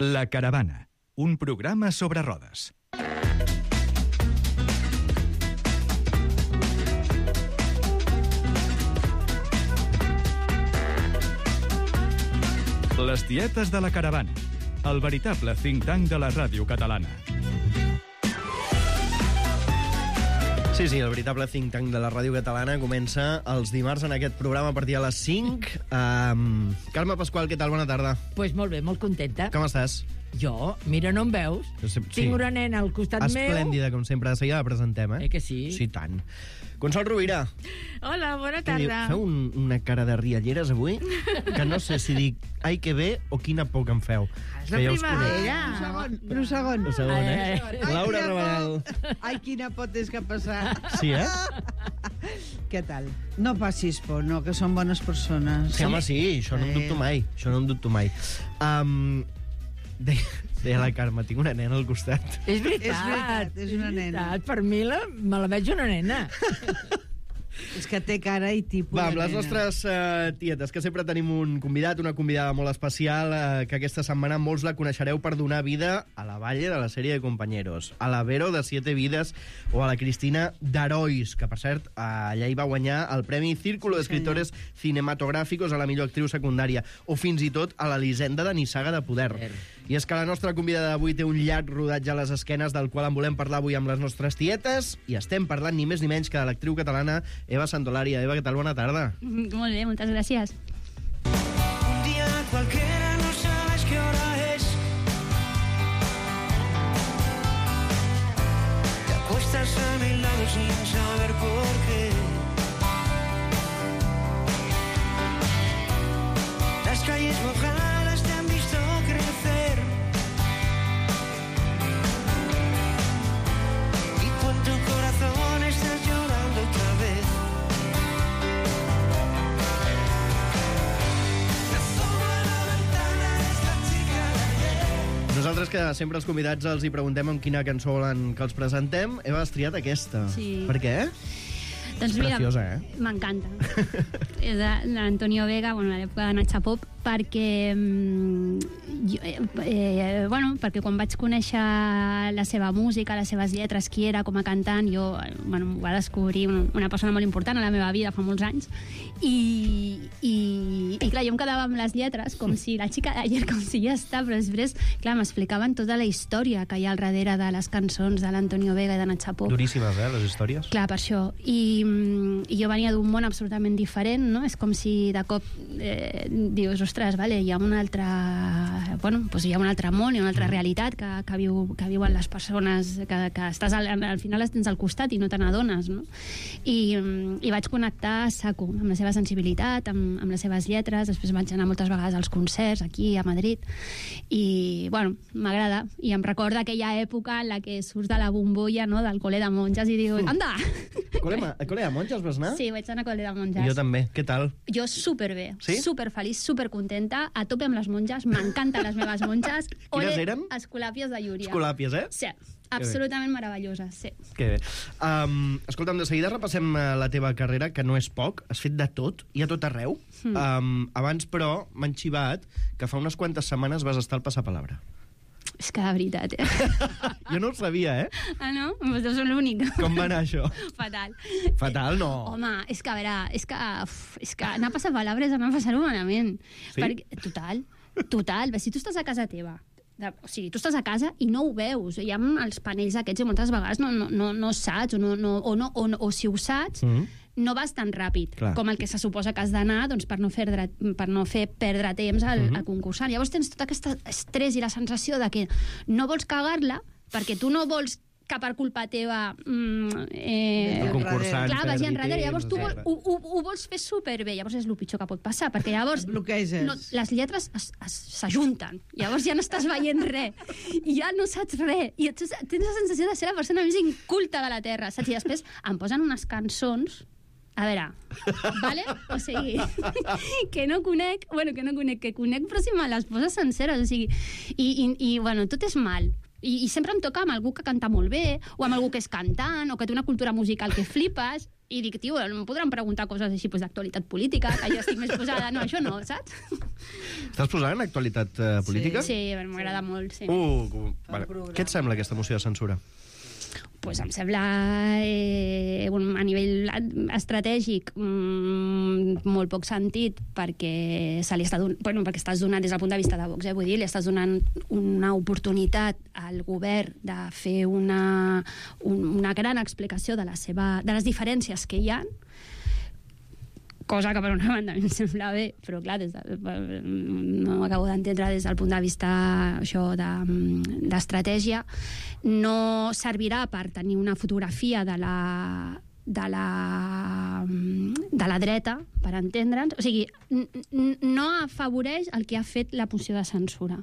La Caravana, un programa sobre rodes. Les tietes de la Caravana, el veritable think tank de la ràdio catalana. Sí, el veritable think tank de la ràdio catalana comença els dimarts en aquest programa a partir de les 5. Carme Pasqual, què tal? Bona tarda. Pues molt bé, molt contenta. Com estàs? Jo? Mira, no em veus? Sí. Tinc una nena al costat meu. Esplèndida, com sempre. De seguida la presentem, eh? Que sí? Sí, tant. Consol Rovira. Hola, bona tarda. Feu una cara de rialleres avui que no sé si dic ai que bé o quina por que em feu. És la primavera. Un segon. Laura Rabanel. Ai, quina por tens que passar. Sí, eh? Què tal? No passis por, no, que són bones persones. Sí, home, sí, això no en dubto mai. Deia la Carme, tinc una nena al costat. És veritat, és una nena. Per mi me la veig una nena. És que té cara i tipus Va, amb de les nena. nostres tietes, que sempre tenim un convidat, una convidada molt especial, que aquesta setmana molts la coneixereu per donar vida a la Valle de la sèrie de Compañeros, a la Vero de Siete Vides o a la Cristina d'Herois, que per cert allà hi va guanyar el Premi Círculo d'Escritores Cinematográficos a la millor actriu secundària, o fins i tot a l'Elisenda de Nissaga de Poder. I és que la nostra convidada d'avui té un llarg rodatge a les esquenes del qual en volem parlar avui amb les nostres tietes, i estem parlant ni més ni menys que de l'actriu catalana Eva Santolaria. Eva, què tal? Bona tarda. Molt bé, moltes gràcies. Un día cualquiera no sabes qué hora es. Te acuestas a mi lado sin saber por qué. Las calles mojadas te han visto crecer. Y tú en tu corazón estás llorando otra vez. Nosaltres, que sempre els convidats els hi preguntem amb quina cançó volen que els presentem, Eva, has triat aquesta. Sí. Per què? Doncs És preciosa, eh? M'encanta. És de l'Antonio Vega, bueno, a l'època de Nacha Pop, perquè perquè quan vaig conèixer la seva música, les seves lletres, qui era com a cantant, jo m'ho va descobrir una persona molt important a la meva vida fa molts anys, i clar, jo em quedava amb les lletres com si la xica d'ayer, com si ja està, però després, clar, m'explicaven tota la història que hi ha al darrere de les cançons de l'Antonio Vega i de Nacha Pop. Duríssimes, les històries. Clar, per això. I jo venia d'un món absolutament diferent, no? És com si de cop dius, ostres, vale, hi ha un altre... Bueno, doncs hi ha un altre món, hi ha una altra realitat que viuen les persones, que estàs al final les tens al costat i no te n'adones, no? I vaig connectar a saco amb la seva sensibilitat, amb les seves lletres. Després vaig anar moltes vegades als concerts aquí a Madrid i, bueno, m'agrada. I em recorda aquella època en la que surts de la bombolla, no?, del col·le de monges i dius, anda! Col·le de monges vas anar? Sí, vaig anar a col·le de monges. Jo també. Què tal? Jo superbé, sí? Superfeliç, supercontenta, a tope amb les monges, m'encanten les meves monges. Quines eren? Escolàpies de Llúria. Escolàpies, eh? Sí, absolutament meravelloses, sí. Que bé. Escolta'm, de seguida repassem la teva carrera, que no és poc, has fet de tot, i a tot arreu. Abans, però, m'han xivat que fa unes quantes setmanes vas estar al Passapalabra. És que de veritat, Jo no ho sabia, eh? Ah, no? Doncs deu ser l'únic. Com va anar això? Fatal. Fatal, no. Home, és que, a veure, és que anar a Passapalabra és anar a passar-ho malament. Sí? Total. Si tu estàs a casa teva, o sigui, tu estàs a casa i no ho veus, hi ha els panells aquests i moltes vegades no saps, o si ho saps, no vas tan ràpid. Clar. Com el que se suposa que has d'anar, doncs, per no fer perdre temps al concursant. Llavors tens tot aquest estrès i la sensació de que no vols cagar-la perquè tu no vols que per culpa teva el concursant clar, vagi enrere. Llavors tu ho vols fer superbé. Llavors és el pitjor que pot passar, perquè llavors les lletres s'ajunten. Llavors ja no estàs veient res. I ja no saps res. I tens la sensació de ser la persona més inculta de la Terra, saps? I després em posen unes cançons, a veure, vale? O sigui, que conec, però si me les poses senceres, o sigui, i bueno, tot és mal. I sempre em toca amb algú que canta molt bé, o amb algú que és cantant, o que té una cultura musical que flipes, I dic, tio, em podran preguntar coses així d'actualitat política, que jo estic més posada. No, això no, saps? Estàs posant en actualitat política? Sí, m'agrada molt, sí. Vale. Què et sembla aquesta moció de censura? Pues em sembla, a nivell estratègic, molt poc sentit, perquè perquè estàs donant, des del punt de vista de Vox, vull dir, li estàs donant una oportunitat al govern de fer una gran explicació de les diferències que hi ha, cosa que per una banda em sembla bé, però clar, no acabo d'entendre des del punt de vista d'estratègia. No servirà per tenir una fotografia de la dreta, per entendre'ns. O sigui, no afavoreix el que ha fet la moció de censura.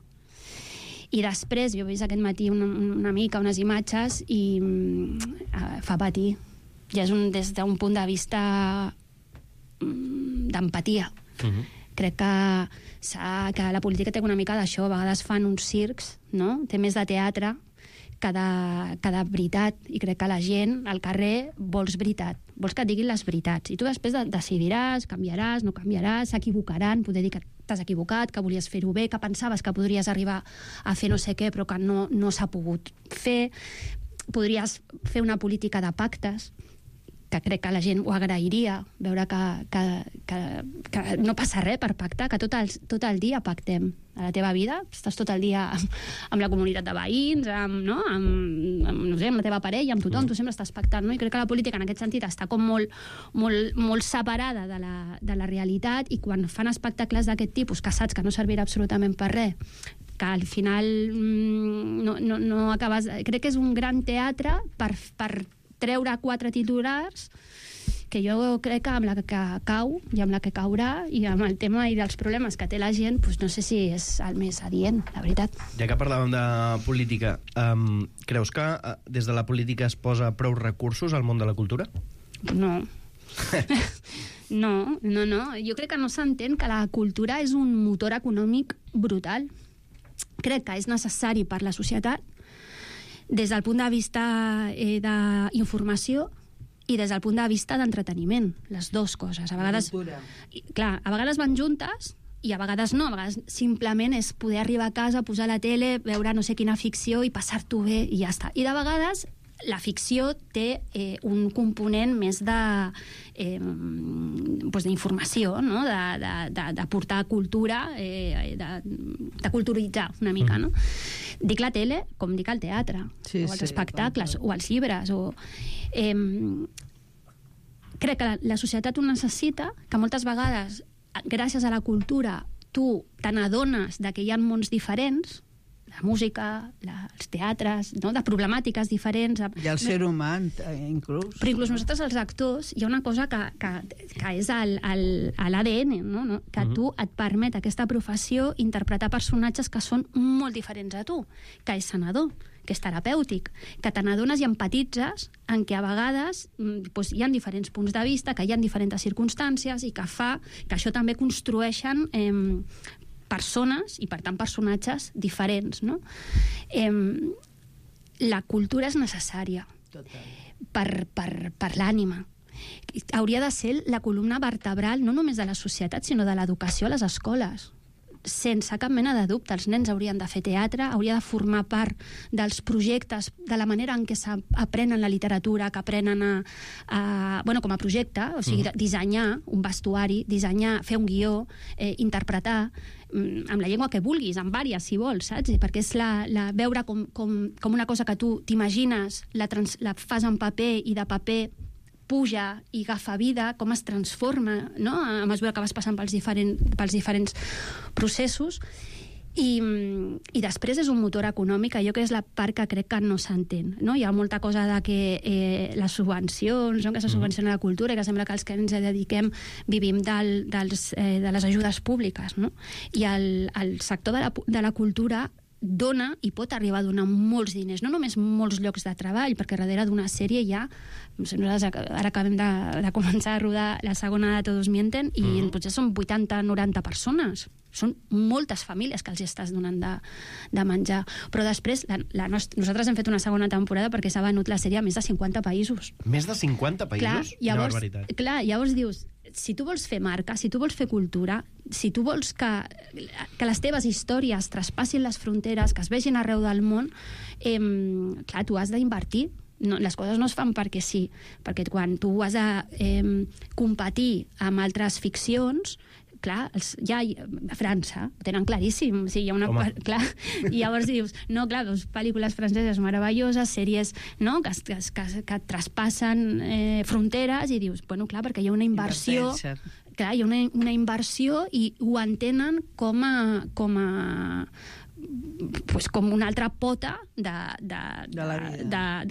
I després, jo he vist aquest matí una mica, unes imatges, i fa patir. Ja és des d'un punt de vista d'empatia. Crec que la política té una mica d'això. A vegades fan uns circs, no? Té més de teatre que de veritat, i crec que la gent al carrer vols veritat, vols que et diguin les veritats, i tu després decidiràs, canviaràs, no canviaràs, s'equivocaran, poder dir que t'has equivocat, que volies fer-ho bé, que pensaves que podries arribar a fer no sé què, però que no s'ha pogut fer. Podries fer una política de pactes, que crec que la gent ho agrairia, veure que no passa res per pactar, que tot el dia pactem a la teva vida, estàs tot el dia amb la comunitat de veïns, amb la teva parella, amb tothom, tu sempre estàs pactant, no? I crec que la política en aquest sentit està com molt separada de la realitat, i quan fan espectacles d'aquest tipus, que saps que no servirà absolutament per res, que al final no acabes... Crec que és un gran teatre per treure 4 titulars, que jo crec que amb la que cau i amb la que caurà, i amb el tema i dels problemes que té la gent, doncs no sé si és el més adient, la veritat. Ja que parlàvem de política, creus que des de la política es posa prou recursos al món de la cultura? No. No. Jo crec que no s'entén que la cultura és un motor econòmic brutal. Crec que és necessari per la societat, des del punt de vista d'informació i des del punt de vista d'entreteniment, les dues coses. A vegades, clar, a vegades van juntes i a vegades no, a vegades simplement és poder arribar a casa, posar la tele, veure no sé quina ficció i passar-t'ho bé i ja està. I de vegades la ficció té un component més d'informació, no? De portar cultura, de culturitzar una mica, no? Dic la tele com dic el teatre, o els espectacles, o els llibres, crec que la societat ho necessita, que moltes vegades, gràcies a la cultura, tu te n'adones que hi ha mons diferents, la música, els teatres, no? De problemàtiques diferents. I el ser humà, inclús. Però inclús nosaltres, els actors, hi ha una cosa que és a l'ADN, no? Que tu et permet, aquesta professió, interpretar personatges que són molt diferents a tu, que és sanador, que és terapèutic, que te n'adones i empatitzes en què a vegades hi ha diferents punts de vista, que hi ha diferents circumstàncies, i que fa que això també construeixen persones, i per tant personatges diferents, no? La cultura és necessària per l'ànima. Hauria de ser la columna vertebral no només de la societat, sinó de l'educació a les escoles. Sense cap mena de dubte, els nens haurien de fer teatre, hauria de formar part dels projectes, de la manera en què s'aprenen la literatura, que aprenen com a projecte, o sigui, dissenyar un vestuari, fer un guió, interpretar, amb la llengua que vulguis, amb vàries, si vols, saps? Perquè és veure com una cosa que tu t'imagines, la fas en paper, i de paper puja i agafa vida, com es transforma, no? A mesura que vas passant pels diferents processos. I després és un motor econòmic, allò que és la part que crec que no s'entén, no? Hi ha molta cosa de que les subvencions, no? Que se subvenciona la cultura, i que sembla que els que ens dediquem vivim de les ajudes públiques, no? I el sector de la cultura dona i pot arribar a donar molts diners, no només molts llocs de treball, perquè darrere d'una sèrie hi ha, nosaltres ara acabem de començar a rodar la segona de Todos Mienten, i potser són 80-90 persones són moltes famílies que els estàs donant de menjar. Però després, nosaltres hem fet una segona temporada perquè s'ha venut la sèrie a més de 50 països. Més de 50 països? Una barbaritat. Clar, llavors dius, si tu vols fer marca, si tu vols fer cultura, si tu vols que les teves històries traspassin les fronteres, que es vegin arreu del món, clar, tu has d'invertir. No, les coses no es fan perquè sí, perquè quan tu has de competir amb altres ficcions, clar, ja a França ho tenen claríssim, o sigui, hi ha una clar, i llavors dius, no, clar, doncs pel·lícules franceses meravelloses, sèries, no?, que traspassen fronteres, i dius, bueno, clar, perquè hi ha una inversió, clar, hi ha una inversió i ho entenen com una altra pota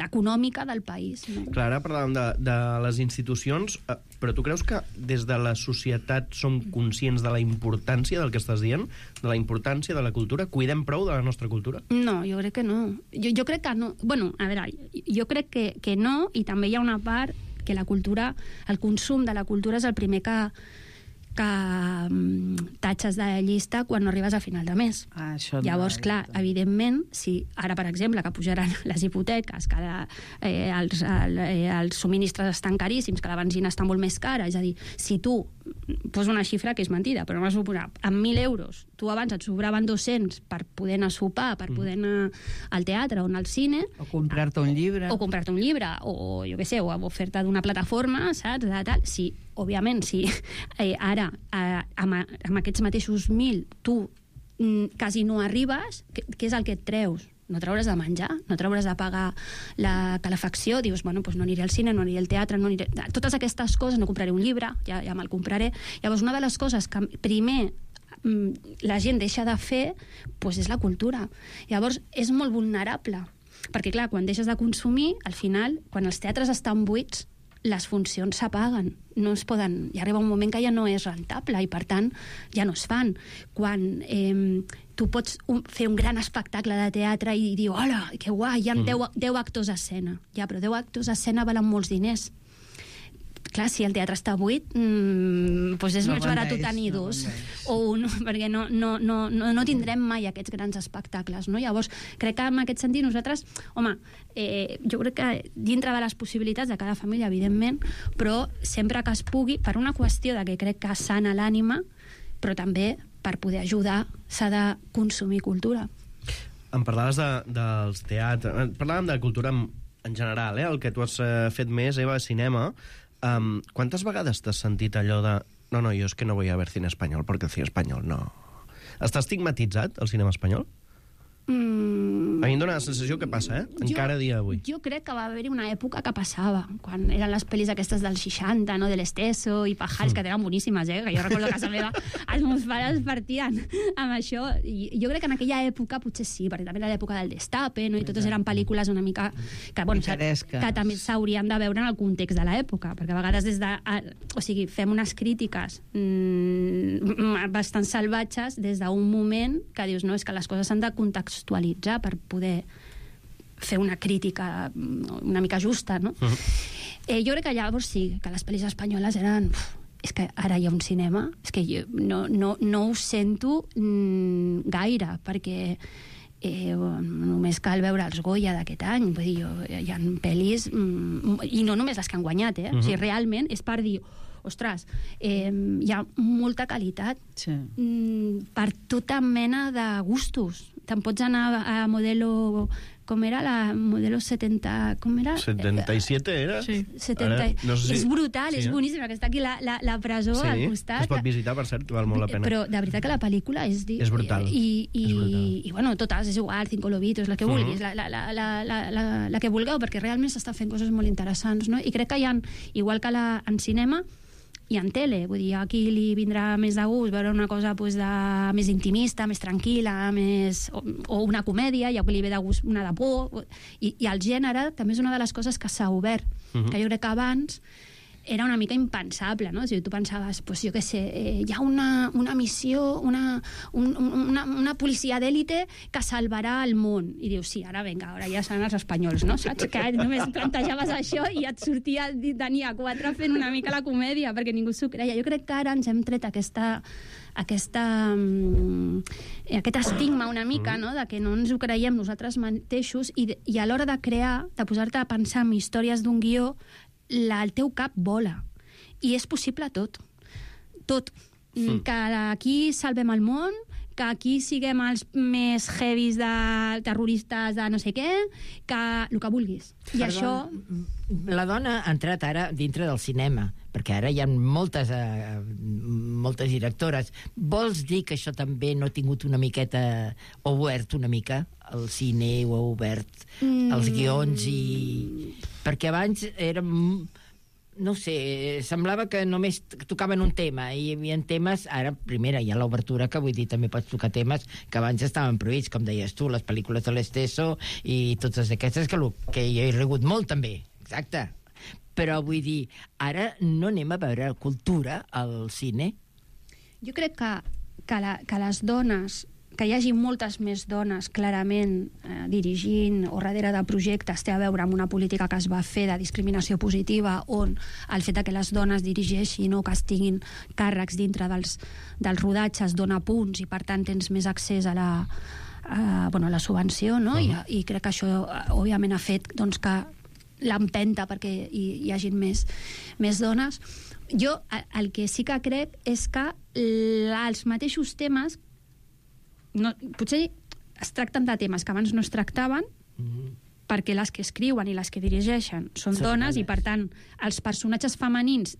econòmica del país. No? Clar, ara parlàvem de les institucions, però tu creus que des de la societat som conscients de la importància del que estàs dient? De la importància de la cultura? Cuidem prou de la nostra cultura? No, jo crec que no. Jo crec que no. Bueno, a veure, jo crec que no, i també hi ha una part que la cultura, el consum de la cultura és el primer que tatxes de llista quan no arribes a final de mes. Llavors, clar, evidentment, si ara, per exemple, que pujaran les hipoteques, que els subministres estan caríssims, que la benzina està molt més cara, és a dir, si tu posa una xifra que és mentida, però no vas suposar, amb 1.000 euros, tu abans et sobraven 200 per poder anar a sopar, per poder anar al teatre o anar al cine... O comprar-te un llibre. O jo què sé, o fer-te d'una plataforma, saps? Sí, òbviament, si ara amb aquests mateixos 1.000 tu quasi no arribes, què és el que et treus? No trauràs de menjar, no trauràs de pagar la calefacció, dius, bueno, doncs no aniré al cine, no aniré al teatre, no aniré... Totes aquestes coses, no compraré un llibre, ja me'l compraré. Llavors, una de les coses que primer la gent deixa de fer doncs és la cultura. Llavors, és molt vulnerable, perquè, clar, quan deixes de consumir, al final, quan els teatres estan buits, les funcions s'apaguen, no es poden... Hi arriba un moment que ja no és rentable i, per tant, ja no es fan. Quan tu pots fer un gran espectacle de teatre i dir, hola, que guai, hi ha 10 actors a escena. Ja, però 10 actors a escena valen molts diners. Clar, si el teatre està buit, doncs és més barat tenir dos o un, perquè no tindrem mai aquests grans espectacles, no? Llavors, crec que en aquest sentit nosaltres, home, jo crec que dintre de les possibilitats de cada família, evidentment, però sempre que es pugui, per una qüestió de que crec que sana l'ànima, però també per poder ajudar s'ha de consumir cultura. Em parlaves dels teatres, parlàvem de cultura en general, el que tu has fet més, Eva, cinema. ¿Cuántas vegades t'has sentit allò de no, jo és que no voy a ver cine espanyol perquè el cine espanyol no... Està estigmatitzat el cinema espanyol? A mi em dóna la sensació que passa, encara a dia d'avui. Jo crec que va haver-hi una època que passava, quan eren les pel·lis aquestes dels 60, no? De l'Esteso i Pajares, que eren boníssimes, que jo recordo que a casa meva els meus pares partien amb això. I jo crec que en aquella època potser sí, perquè també era l'època del Destape, no? I totes eren pel·lícules una mica que, bueno, que també s'haurien de veure en el context de l'època, perquè a vegades des de... O sigui, fem unes crítiques bastant salvatges des d'un moment que dius, no, és que les coses s'han de contextualitzar per poder fer una crítica una mica justa, no? Jo crec que llavors sí, que les pel·lis espanyoles eren... és que ara hi ha un cinema, és que jo no ho sento gaire, perquè només cal veure els Goya d'aquest any, vull dir, hi ha pel·lis, i no només les que han guanyat, o sigui, realment és per dir, ostres, hi ha molta qualitat per tota mena de gustos. Te'n pots anar a Modelo... Com era la Modelo 70... Com era? 77 era? Sí. 70. Ara, no sé si... És brutal, és boníssima, que està aquí la presó al costat. Es pot visitar, per cert, val molt la pena. Però de veritat que la pel·lícula és brutal. I bueno, totes, és igual, Cinco Lobitos, la que vulguis, la que vulgueu, perquè realment s'està fent coses molt interessants, no? I crec que hi ha, igual que en cinema, i en tele, vull dir, aquí li vindrà més de gust veure una cosa més intimista, més tranquil·la, o una comèdia, i aquí li ve de gust una de por, i el gènere també és una de les coses que s'ha obert, que jo crec que abans era una mica impensable, no? O sigui, tu pensaves, pues, jo què sé, hi ha una missió, una policia d'èlite que salvarà el món. I dius, sí, ara vinga, ara ja seran els espanyols, no? Saps? Que només plantejaves això i et sortia Dani A4 fent una mica la comèdia, perquè ningú s'ho creia. Jo crec que ara ens hem tret aquest estigma una mica, no? De que no ens ho creiem nosaltres mateixos i a l'hora de crear, de posar-te a pensar en històries d'un guió, el teu cap vola. I és possible tot. Tot. Que aquí salvem el món, que aquí siguem els més heavies de terroristes de no sé què, que el que vulguis. I això... La dona ha entrat ara dintre del cinema, perquè ara hi ha moltes directores. Vols dir que això també no ha tingut una miqueta obert una mica? El cine ho ha obert, els guions i... Perquè abans érem... No sé, semblava que només tocaven un tema, i hi havia temes, ara, primera, hi ha l'obertura, que vull dir, també pots tocar temes que abans estaven prohibits, com deies tu, les pel·lícules de l'Esteso i totes aquestes, que hi he rigut molt, també, exacte. Però vull dir, ara no anem a veure cultura al cine? Jo crec que les dones, que hi hagi moltes més dones clarament dirigint o darrere de projectes té a veure amb una política que es va fer de discriminació positiva, on el fet que les dones dirigeixin o que es tinguin càrrecs dintre dels rodatges dona punts i per tant tens més accés a la subvenció, no? I crec que això òbviament ha fet doncs, que l'empenta perquè hi hagin més dones. Jo el que sí que crec és que els mateixos temes potser es tracten de temes que abans no es tractaven perquè les que escriuen i les que dirigeixen són dones i per tant els personatges femenins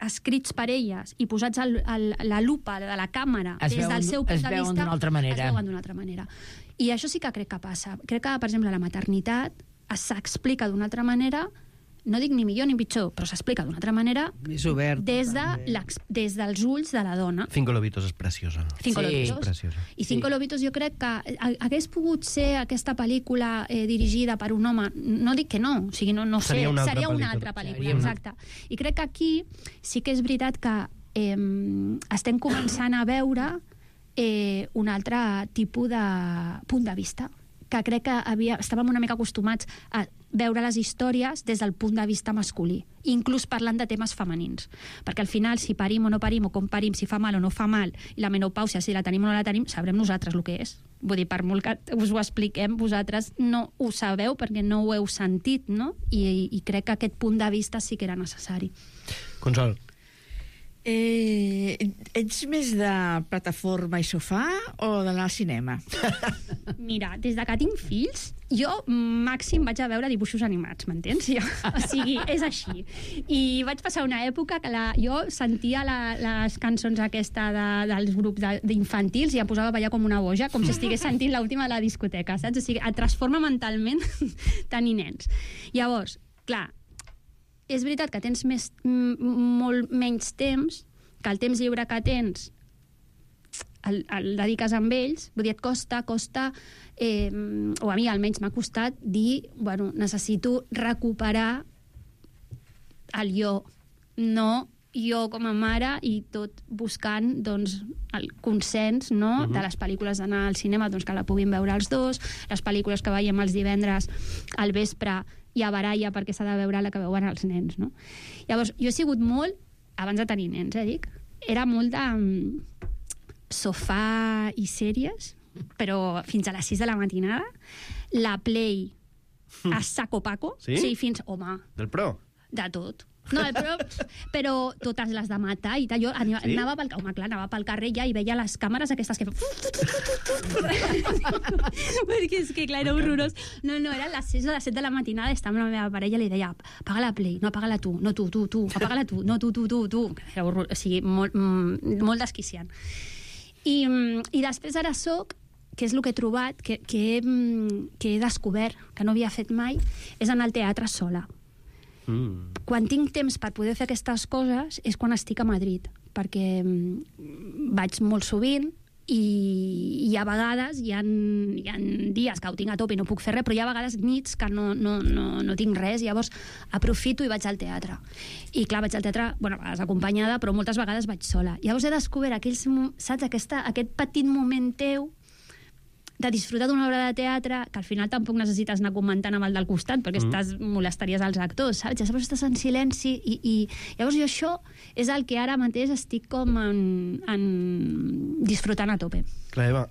escrits per elles i posats la lupa de la càmera des del seu punt de vista es veuen d'una altra manera. I això sí que crec que passa. Crec que, per exemple, la maternitat s'explica d'una altra manera, no dic ni millor ni pitjor, però s'explica d'una altra manera més obert, des dels ulls de la dona. Cinco Lobitos és preciosa. Cinco Lobitos. I Cinco Lobitos jo crec que hagués pogut ser aquesta pel·lícula dirigida per un home, no dic que no, o sigui, no sé, seria una altra pel·lícula, exacte. I crec que aquí sí que és veritat que estem començant a veure un altre tipus de punt de vista, que crec que estàvem una mica acostumats a veure les històries des del punt de vista masculí, inclús parlant de temes femenins. Perquè al final, si parim o no parim, o com parim, si fa mal o no fa mal, i la menopàusia, si la tenim o no la tenim, sabrem nosaltres el que és. Vull dir, per molt que us ho expliquem, vosaltres no ho sabeu perquè no ho heu sentit, no? I crec que aquest punt de vista sí que era necessari. Consol. Ets més de plataforma i sofà o d'anar al cinema? Mira, des de que tinc fills, jo màxim vaig a veure dibuixos animats, m'entens? O sigui, és així. I vaig passar una època que jo sentia les cançons dels grups d'infantils i em posava a ballar com una boja, com si estigués sentint l'última de la discoteca, saps? O sigui, et transforma mentalment tenir nens. Llavors, clar, és veritat que tens molt menys temps, que el temps lliure que tens el dediques amb ells, vull dir, et costa, o a mi almenys m'ha costat dir, bueno, necessito recuperar el jo, no jo com a mare i tot buscant doncs, el consens, no? De les pel·lícules d'anar al cinema, doncs, que la puguin veure els dos, les pel·lícules que veiem els divendres al vespre i a baralla perquè s'ha de veure la que veuen els nens, no? Llavors, jo he sigut molt, abans de tenir nens, dic, era molt de sofà i sèries, però fins a les 6 de la matinada, la Play a saco paco, sí? O sigui, fins, home... Del Pro? De tot. No, però totes les de matar i tal. Jo anava pel carrer ja i veia les càmeres aquestes que... Perquè és que, clar, era horrorós. No, eren les 6 o les 7 de la matinada, estava amb la meva parella i li deia, apaga la Play, no, apaga-la tu, no tu, apaga-la tu, no tu. Era horrorós, o sigui, molt desquiciant. I després ara soc, que és el que he trobat, que he descobert, que no havia fet mai, és anar al teatre sola. Quan tinc temps per poder fer aquestes coses és quan estic a Madrid, perquè vaig molt sovint, i a vegades hi ha dies que ho tinc a tope i no puc fer res, però hi ha vegades nits que no tinc res, llavors aprofito i vaig al teatre. I clar, vaig al teatre, bueno, a vegades acompanyada, però moltes vegades vaig sola. Llavors he descobert aquest petit moment teu de disfrutar d'una obra de teatre, que al final tampoc necessites anar comentant amb el del costat, perquè molestaries els actors, saps? Llavors estàs en silenci i llavors jo això és el que ara mateix estic com disfrutant a tope. Clar, Eva,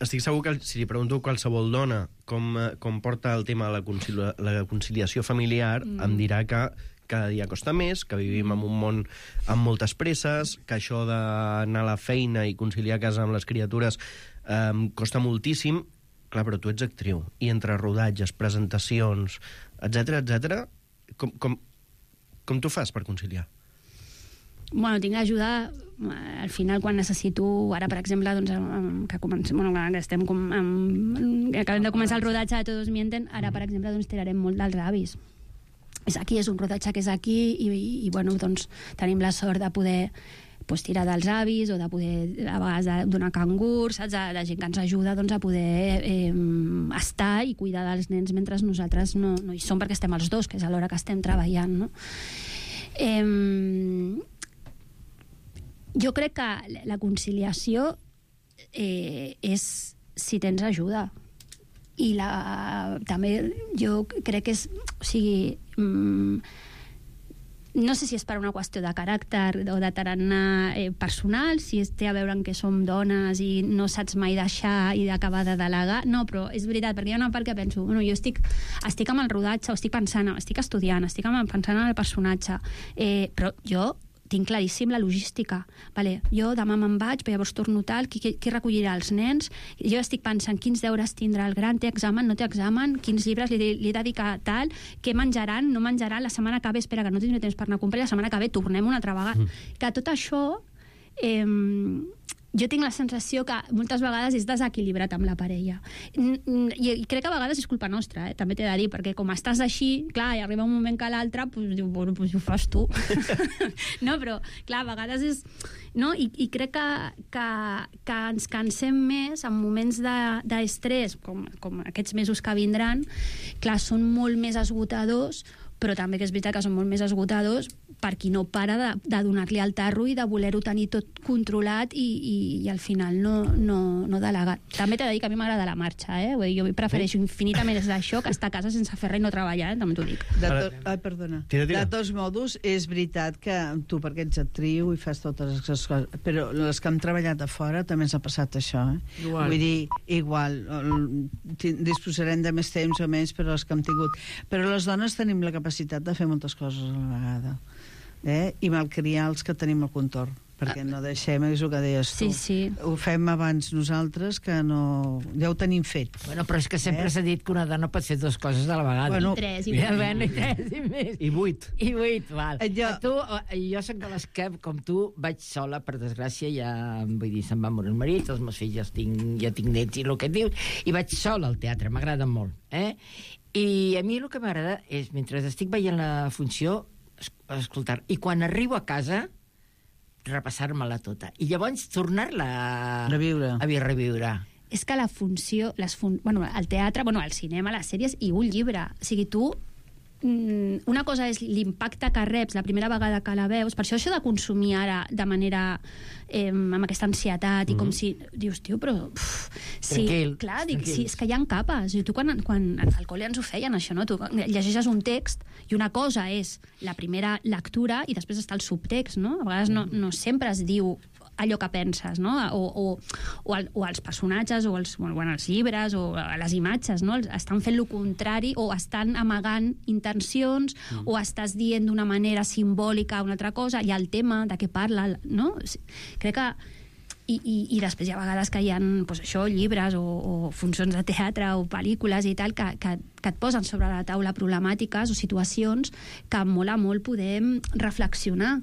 estic segur que si li pregunto a qualsevol dona com porta el tema de la conciliació familiar, em dirà que cada dia costa més, que vivim en un món amb moltes presses, que això d'anar a la feina i conciliar casa amb les criatures costa moltíssim. Clar, però tu ets actriu, i entre rodatges, presentacions, etc, com tu fas per conciliar? Bueno, tinc l'ajuda al final quan necessito, ara per exemple doncs, acabem de començar el rodatge de Todos Mienten, ara per exemple doncs, tirarem molt dels avis. És un rodatge que és aquí i bueno, doncs, tenim la sort de poder tirar dels avis o de poder a vegades donar cangurs, saps? De gent que ens ajuda doncs, a poder estar i cuidar dels nens mentre nosaltres no hi som, perquè estem els dos, que és a l'hora que estem treballant, no? Jo crec que la conciliació és si tens ajuda, i també jo crec que és, o sigui, no sé si és per una qüestió de caràcter o de tarannà personal, si té a veure amb que som dones i no saps mai deixar i d'acabar de delegar. No, però és veritat, perquè hi ha una part que penso, bueno, jo estic amb el rodatge, o estic pensant, estic estudiant, estic pensant en el personatge, però jo tinc claríssim la logística. Vale, jo demà me'n vaig, però llavors torno tal, qui recollirà els nens? Jo estic pensant quins deures tindrà el gran, té examen, no té examen, quins llibres li dedica tal, què menjaran, no menjaran, la setmana que ve, espera, que no tindré temps per anar a comprar, la setmana que ve tornem una altra vegada. Que tot això jo tinc la sensació que moltes vegades és desequilibrat amb la parella. I crec que a vegades és culpa nostra, també t'he de dir, perquè com estàs així, clar, i arriba un moment que l'altre, diu, bueno, ho fas tu. No, però, clar, a vegades és... No? I crec que ens cansem més en moments d'estrès, com aquests mesos que vindran, clar, són molt més esgotadors, però també que és veritat que són molt més esgotadors per qui no para de donar-li el tarro i de voler-ho tenir tot controlat i al final no delegar. També t'he de dir que a mi m'agrada la marxa, Vull dir, jo prefereixo infinitament això que estar a casa sense fer res i no treballar, també t'ho dic. Perdona. Tira. De tots modos, és veritat que tu, perquè ets actriu i fas totes les coses, però les que hem treballat a fora també ens ha passat això, Igual. Vull dir, igual, disposarem de més temps o menys, però les que hem tingut. Però les dones tenim la capacitat de fer moltes coses a la vegada, i malcriar els que tenim al contorn, perquè no deixem, és el que deies tu. Sí. Ho fem abans nosaltres, que no... Ja ho tenim fet. Bueno, però és que sempre s'ha dit que una dona pot fer dues coses a la vegada. Bueno, I tres, i més. I 8. I 8, val. Jo soc de les que, com tu, vaig sola, per desgràcia, ja, vull dir, se'n va morir el marit, els meus fills ja tinc nets i el que et dius, i vaig sola al teatre, m'agrada molt, I a mi el que m'agrada és, mentre estic veient la funció, escoltar, i quan arribo a casa, repassar-me-la tota. I llavors tornar-la a reviure. És que la funció, el teatre, el cinema, les sèries i un llibre. O sigui, tu una cosa és l'impacte que reps la primera vegada que la veus, per això de consumir ara de manera amb aquesta ansietat i com si dius, tio, però sí, clar, sí, és que hi ha capes. Tu quan al col·le ens ho feien això, no? Tu llegeixes un text i una cosa és la primera lectura i després està el subtext, no? A vegades no sempre es diu allò que penses, no? O els personatges, o els llibres, o les imatges, no? Estan fent el contrari, o estan amagant intencions, o estàs dient d'una manera simbòlica una altra cosa, i el tema de què parla, no? Crec que... I després hi ha vegades que hi ha llibres o funcions de teatre o pel·lícules i tal que et posen sobre la taula problemàtiques o situacions que mola molt poder reflexionar,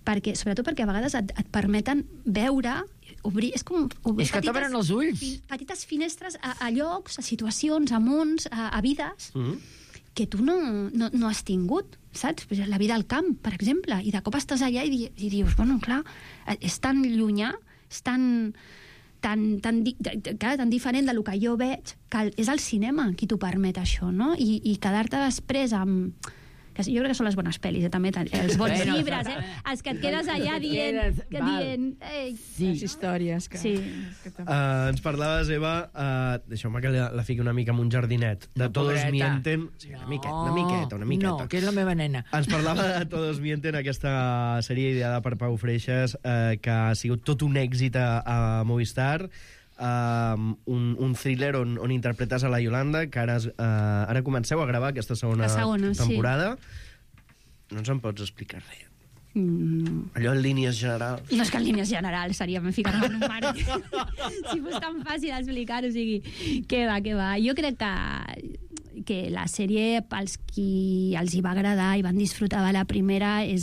sobretot perquè a vegades et permeten veure, obrir... És que t'obren els ulls. Petites finestres a llocs, a situacions, a mons, a vides que tu no has tingut, saps? La vida al camp, per exemple, i de cop estàs allà i dius, bueno, clar, és tan llunyà, és tan tan diferent del que jo veig, que és el cinema qui t'ho permet, això, no? I quedar-te després amb... Jo crec que són les bones pel·lis, també, els bons llibres, els que et quedes allà dient... Les històries. Sí. Ens parlaves, Eva, deixeu-me que la fiqui una mica amb un jardinet, de Todos Mienten... Sí, una miqueta. No, que és la meva nena. Ens parlava de Todos Mienten, aquesta sèrie ideada per Pau Freixas, que ha sigut tot un èxit a Movistar, un thriller on interpretes a la Yolanda, que ara comenceu a gravar aquesta segona temporada. Sí. No ens en pots explicar res. Allò en línies generals. No és que en línies generals seria ficar-me en un mar. Si fos tan fàcil explicar, o sigui, què va. Jo crec que la sèrie, pels qui els hi va agradar i van disfrutar de la primera, és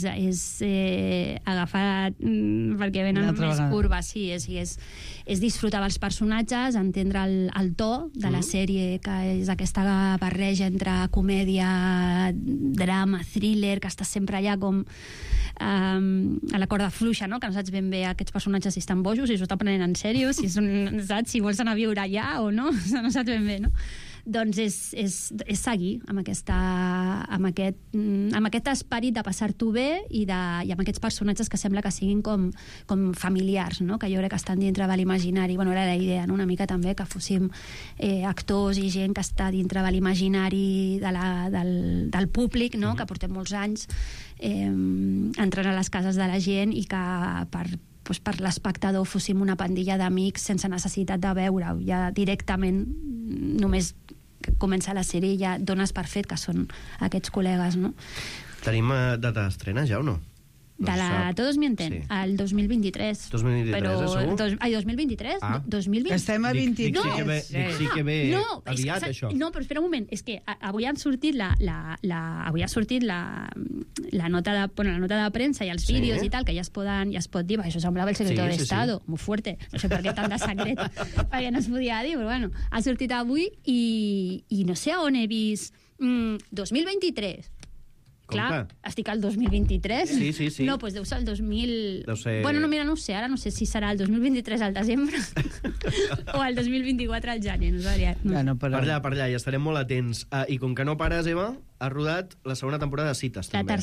agafar perquè venen més curves, sí, és disfrutar dels personatges, entendre el to de la sèrie, que és aquesta barreja entre comèdia, drama, thriller, que està sempre allà com a la corda fluixa, no? Que no saps ben bé aquests personatges si estan bojos, si s'ho estan prenent en sèrio, saps si vols anar a viure allà o no, no saps ben bé, no? Doncs és seguir amb aquest esperit de passar-t'ho bé i amb aquests personatges que sembla que siguin com familiars, no? Que jo crec que estan dintre de l'imaginari. Bueno, era la idea, no? Una mica també que fóssim actors i gent que està dintre de l'imaginari del públic, no? Que portem molts anys entrant a les cases de la gent i que per l'espectador fóssim una pandilla d'amics sense necessitat de veure-ho. Ja directament, només comença la sèrie i ja dones per fet que són aquests col·legues, no? Tenim data d'estrena ja o no? De la Todos Mienten, el 2023. 2023, segur? Ai, 2023? 2020. Estem a 22. Sí que ve aviat, això. No, però espera un moment, és que avui ha sortit la nota de premsa i els vídeos i tal, que ja es pot dir, això semblava el secreto de Estado, muy fuerte, no sé per què tant de secret, perquè no es podia dir, però bueno, ha sortit avui i no sé on he vist 2023. Clar, estic al 2023. Sí. No, doncs deu ser el 2000... Deu ser... Bueno, no, mira, no ho sé, ara no sé si serà el 2023 al desembre o el 2024 al gener, no sabria. No. Per allà, i estarem molt atents. I com que no pares, Eva, has rodat la segona temporada de Cites, també. La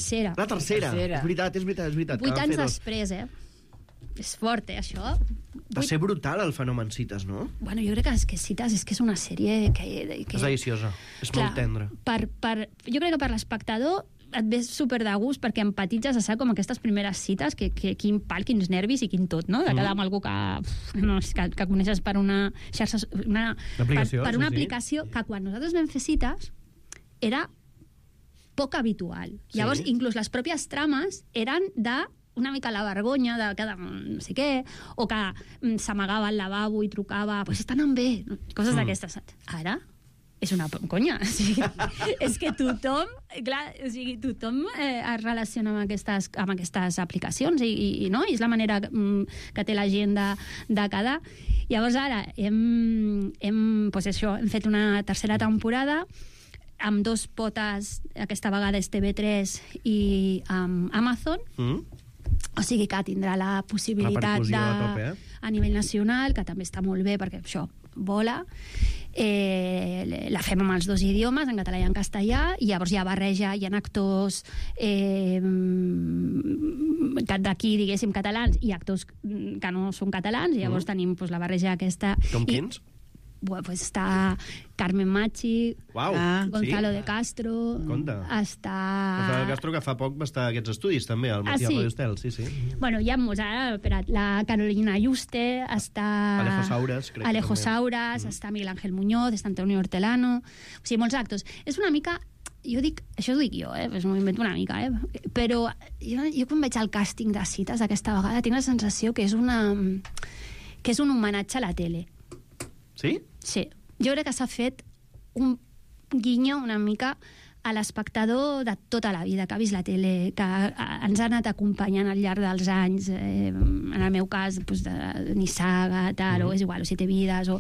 tercera. És veritat. 8 anys després, És fort, això. Va ser brutal el fenomen Cites, no? Bueno, jo crec que Cites és una sèrie que... És deliciosa, és molt tendra. Jo crec que per l'espectador et ves super de gust perquè empatitzes a saber com aquestes primeres cites, que quin pal, quins nervis i quin tot, no? De quedar amb algú que coneixes per una xarxa... Per una aplicació que quan nosaltres vam fer cites era poc habitual. Llavors, inclús les pròpies trames eren de una mica la vergonya de cada no sé què, o que s'amagava al lavabo i trucava, pues estan bé, coses d'aquestes. Ara és una conya. O sigui, és que tothom es relaciona amb aquestes aplicacions i no? I és la manera que té la gent de quedar. Llavors ara hem fet una tercera temporada amb 2 potes, aquesta vegada és TV3 i Amazon. O sigui que tindrà la possibilitat a nivell nacional, que també està molt bé perquè això vola. La fem amb els 2 idiomes, en català i en castellà, i llavors hi ha barreja, hi ha actors d'aquí, diguéssim, catalans, i actors que no són catalans, i llavors tenim la barreja aquesta. Com quins? Pues està Carmen Machi, Gonzalo de Castro. Conta. Gonzalo de Castro, que fa poc va estar a aquests estudis, també, al Matí de Radio Estel. Sí. Bueno, hi ha molts, la Carolina Yuste, està... Alejo Sauras, està Miguel Ángel Muñoz, està Antonio Hortelano... O sigui, molts actors. És una mica... Això ho dic jo, pues m'ho invento una mica, però jo quan veig el càsting de cites aquesta vegada tinc la sensació que és un homenatge a la tele. Sí? Sí. Jo crec que s'ha fet un guinyo una mica a l'espectador de tota la vida, que ha vist la tele, que ens ha anat acompanyant al llarg dels anys, en el meu cas, de Nissaga, tal, o és igual, o Siete Vidas, o...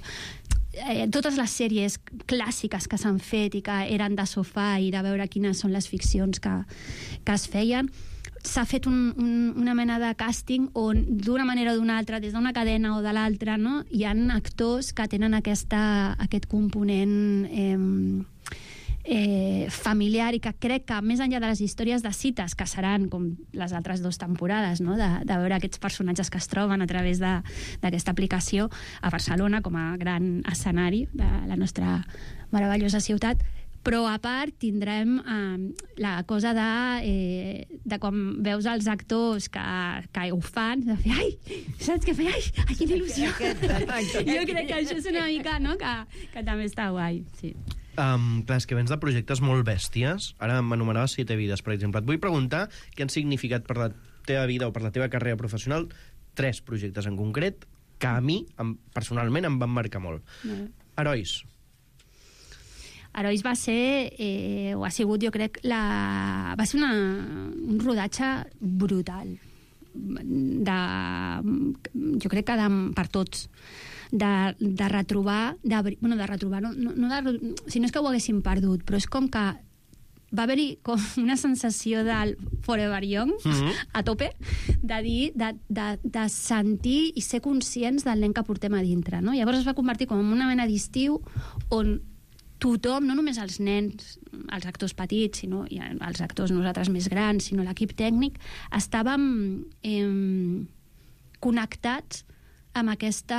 totes les sèries clàssiques que s'han fet i que eren de sofà i de veure quines són les ficcions que es feien. s'ha fet una mena de càsting on d'una manera o d'una altra, des d'una cadena o de l'altra, no? Hi ha actors que tenen aquest component familiar i que crec que més enllà de les històries de cites, que seran com les altres 2 temporades, no? de veure aquests personatges que es troben a través d'aquesta aplicació a Barcelona com a gran escenari de la nostra meravellosa ciutat, però a part tindrem la cosa de quan veus els actors que ho fan, de fer, ai, saps què feia? Ai, quina il·lusió! Jo crec que això és una mica, no?, que també està guai, sí. Clar, és que vens de projectes molt bèsties. Ara m'anomenaves 7 vides, per exemple. Et vull preguntar què han significat per la teva vida o per la teva carrera professional 3 projectes en concret que a mi, personalment, em van marcar molt. Herois. Herois va ser, o ha sigut, jo crec, va ser un rodatge brutal. Jo crec que per tots. De retrobar, si no és que ho haguéssim perdut, però és com que va haver-hi com una sensació del Forever Young, a tope, de dir, de sentir i ser conscients del nen que portem a dintre, no? Llavors es va convertir com en una mena d'estiu on tothom, no només els nens, els actors petits, sinó els actors nosaltres més grans, sinó l'equip tècnic, estàvem connectats amb aquest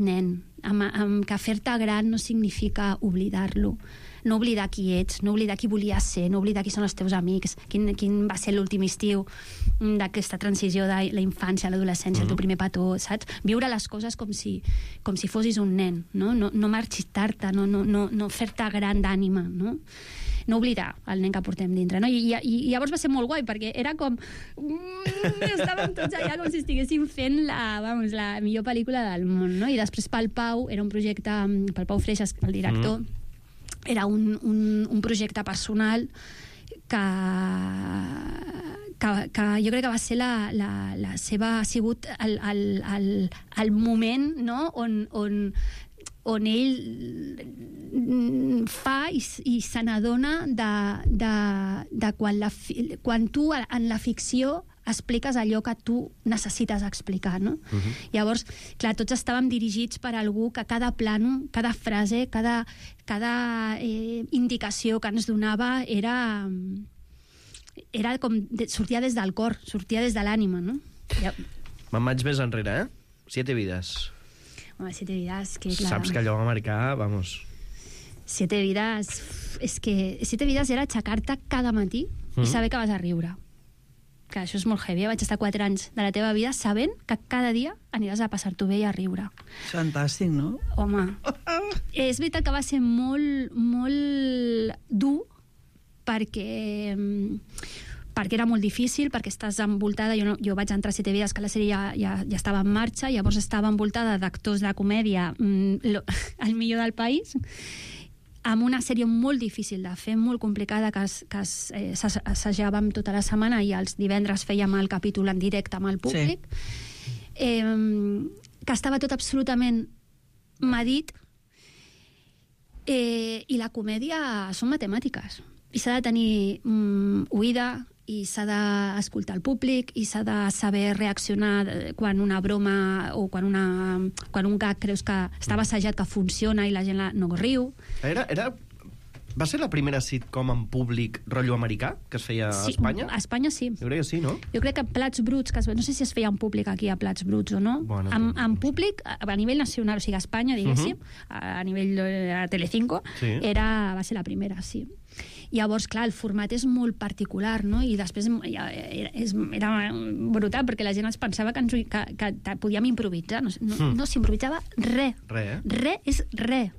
nen, amb que fer-te gran no significa oblidar-lo, no oblidar qui ets, no oblidar qui volies ser, no oblidar qui són els teus amics, quin va ser l'últim estiu d'aquesta transició de la infància a l'adolescència, el teu primer petó, saps? Viure les coses com si fossis un nen, no marxitar-te, no fer-te gran d'ànima, no? No oblidar el nen que portem dintre, no? I llavors va ser molt guai, perquè era com estàvem tots allà com si estiguéssim fent la millor pel·lícula del món, no? I després pel Pau, era un projecte, pel Pau Freixas, el director, era un projecte personal que jo crec que va ser la seva, ha sigut el moment, no?, on ell fa i se n'adona de quan tu en la ficció expliques allò que tu necessites explicar, no? Llavors, clar, tots estàvem dirigits per algú que cada plano, cada frase, cada indicació que ens donava era com sortia des del cor, sortia des de l'ànima, no? Me'n vaig més enrere, 7 vides. Home, 7 vides, que clar... Saps que allò va marcar, vamos... 7 vides... És que 7 vides era aixecar-te cada matí i saber que vas a riure. Que això és molt heavy. Vaig estar 4 anys de la teva vida sabent que cada dia aniràs a passar-t'ho bé i a riure. Fantàstic, no? Home, és veritat que va ser molt, molt dur perquè era molt difícil, perquè estàs envoltada, jo vaig entrar a 7 vides, que la sèrie ja estava en marxa, llavors estava envoltada d'actors de comèdia el millor del país, amb una sèrie molt difícil de fer, molt complicada, que assajàvem tota la setmana i els divendres fèiem el capítol en directe amb el públic, que estava tot absolutament medit, i la comèdia són matemàtiques, i s'ha de tenir oïda, i s'ha d'escoltar el públic, i s'ha de saber reaccionar quan una broma o quan un gag creus que estava assajat, que funciona i la gent no riu. Va ser la primera sitcom en públic rotllo americà que es feia a Espanya? A Espanya sí. Jo crec que sí, no? Jo crec que Plats Bruts, no sé si es feia en públic aquí a Plats Bruts o no, bueno, en públic, a nivell nacional, o sigui a Espanya, diguéssim, a nivell de Telecinco, va ser la primera, sí. Llavors, clar, el format és molt particular, no? I després era brutal, perquè la gent es pensava que podíem improvisar. No s'improvisava res. Res és res.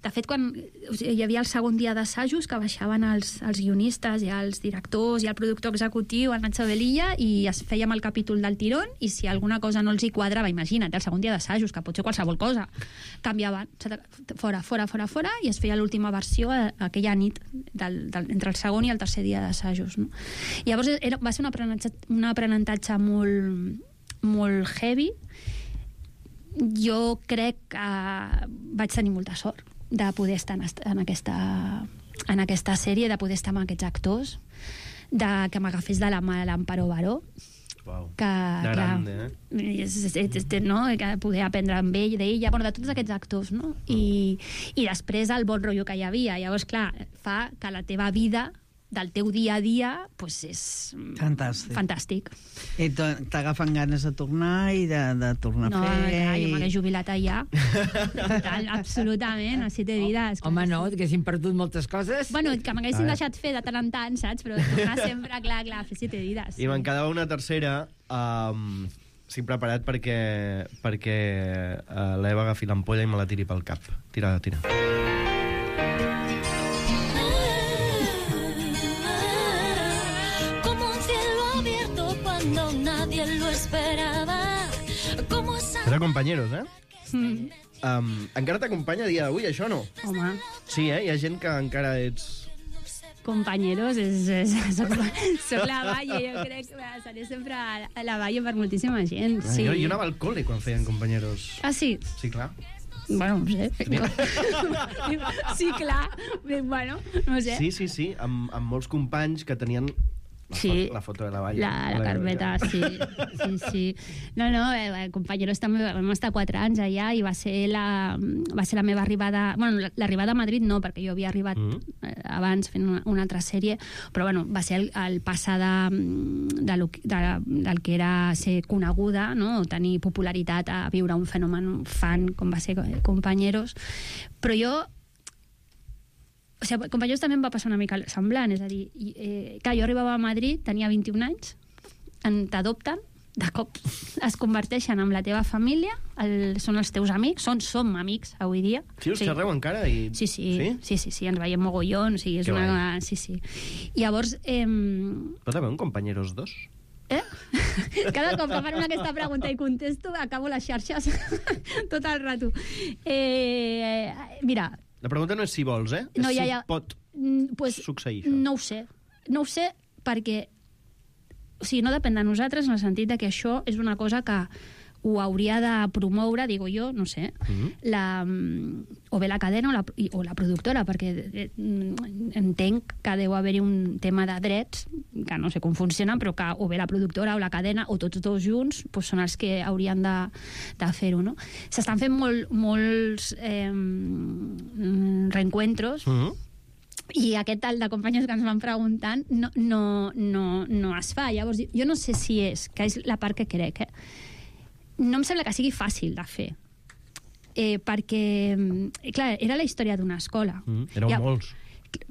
De fet, quan hi havia el segon dia d'assajos, que baixaven els guionistes i els directors i el productor executiu, el Nacho Velilla, i es fèiem el capítol del tirón, i si alguna cosa no els hi quadrava, imagina't, el segon dia d'assajos, que pot ser qualsevol cosa, canviaven, fora, i es feia l'última versió aquella nit entre el segon i el tercer dia d'assajos, no? Llavors va ser un aprenentatge molt, molt heavy. Jo crec que vaig tenir molta sort de poder estar en aquesta sèrie, de poder estar amb aquests actors, que m'agafés de la mà l'Amparo Baró, Uau. que, De grande, no? Que poder aprendre amb ell, d'ella, bueno, de tots aquests actors, no? I després el bon rotllo que hi havia. Llavors, clar, fa que la teva vida del teu dia a dia pues és fantàstic. I t'agafen ganes de tornar i de tornar a fer... No, jo m'hagués jubilat allà. Total, absolutament, a 7 vides. Home, no, que haguessin perdut moltes coses. Bueno, que m'haguessin deixat fer de tant en tant, saps? Però tornar sempre, clar, a fer 7 vides. I me'n quedava una tercera... estic preparat perquè l'Eva agafi l'ampolla i me la tiri pel cap. Tira. Cuando nadie lo esperaba. Era Compañeros, encara t'acompanya a dia d'avui, això no? Home. Sí, hi ha gent que encara ets... Compañeros, soc la Valle, jo crec que seré sempre a la Valle per moltíssima gent. Sí. Jo anava al col·le quan feien Compañeros. Ah, sí? Sí, clar. Bueno, no sé. Sí, clar. Bueno, no sé. Sí, amb molts companys que tenien... La foto de la Valle. La carpeta, sí. No, Compañeros també vam estar 4 anys allà i va ser la meva arribada... Bueno, l'arribada a Madrid no, perquè jo havia arribat abans fent una altra sèrie, però bueno, va ser el passar del que era ser coneguda, no? Tenir popularitat a viure un fenomen fan com va ser Compañeros. Però jo... O sigui, Compañeros també em va passar una mica semblant, és a dir, clar, jo arribava a Madrid, tenia 21 anys, t'adopten, de cop es converteixen en la teva família, són els teus amics, som amics avui dia. Sí, us xerreu encara? Sí, ens veiem mogollon, sí. Llavors... Pot haver un Compañeros 2? Cada cop que fan aquesta pregunta i contesto, acabo les xarxes tot el rato. Mira... La pregunta no és si vols, No, és si pot succeir això. No ho sé perquè no depèn de nosaltres en el sentit de que això és una cosa que ho hauria de promoure, digo jo, no sé, o bé la cadena o la productora, perquè entenc que deu haver-hi un tema de drets, que no sé com funcionen, però que o bé la productora o la cadena, o tots dos junts, són els que haurien de fer-ho, no? S'estan fent molts reencuentros, i aquest tal de companys que ens van preguntant no es fa. Llavors, jo no sé si que és la part que crec, no em sembla que sigui fàcil de fer, perquè, clar, era la història d'una escola. Éreu molts.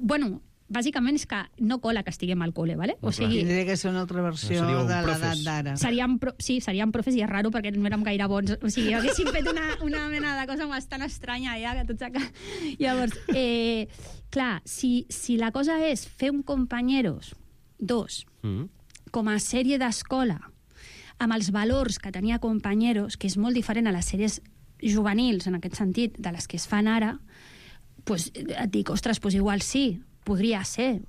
Bueno, bàsicament és que no cola que estiguem al col·le, ¿vale? O sigui, tindria que ser una altra versió de l'edat d'ara. Seríem profes, i és raro perquè no érem gaire bons. O sigui, haguéssim fet una mena de cosa bastant estranya ja, que tots... Llavors, clar, si la cosa és fer un Compañeros 2 com a sèrie d'escola, amb els valors que tenia Compañeros, que és molt diferent a les sèries juvenils, en aquest sentit, de les que es fan ara, doncs et dic, ostres, doncs igual sí, podria ser,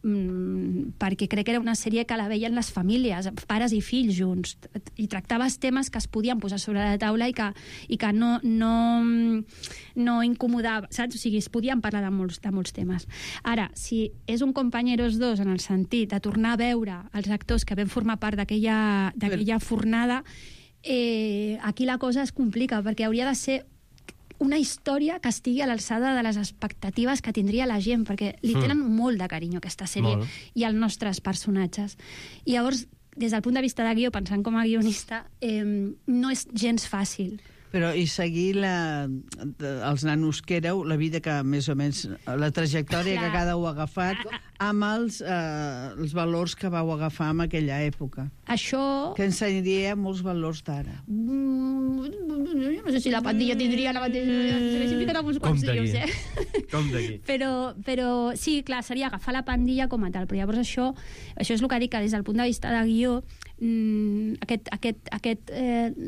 perquè crec que era una sèrie que la veien les famílies, pares i fills junts, i tractaves temes que es podien posar sobre la taula i que no incomodava, saps? O sigui, es podien parlar de molts temes. Ara, si és un Compañeros 2 en el sentit de tornar a veure els actors que vam formar part d'aquella fornada, aquí la cosa es complica, perquè hauria de ser una història que estigui a l'alçada de les expectatives que tindria la gent, perquè li tenen molt de carinyo aquesta sèrie i els nostres personatges. I llavors, des del punt de vista de guió, pensant com a guionista, no és gens fàcil. Però i seguir els nanos que éreu, la vida que més o menys, la trajectòria que cada un ha agafat, amb els valors que vau agafar en aquella època. Això... Que ensenyaria molts valors d'ara. Jo no sé si la pandilla tindria la mateixa... Com d'aquí. Però sí, clar, seria agafar la pandilla com a tal, però llavors això és el que dic, que des del punt de vista de guió, aquest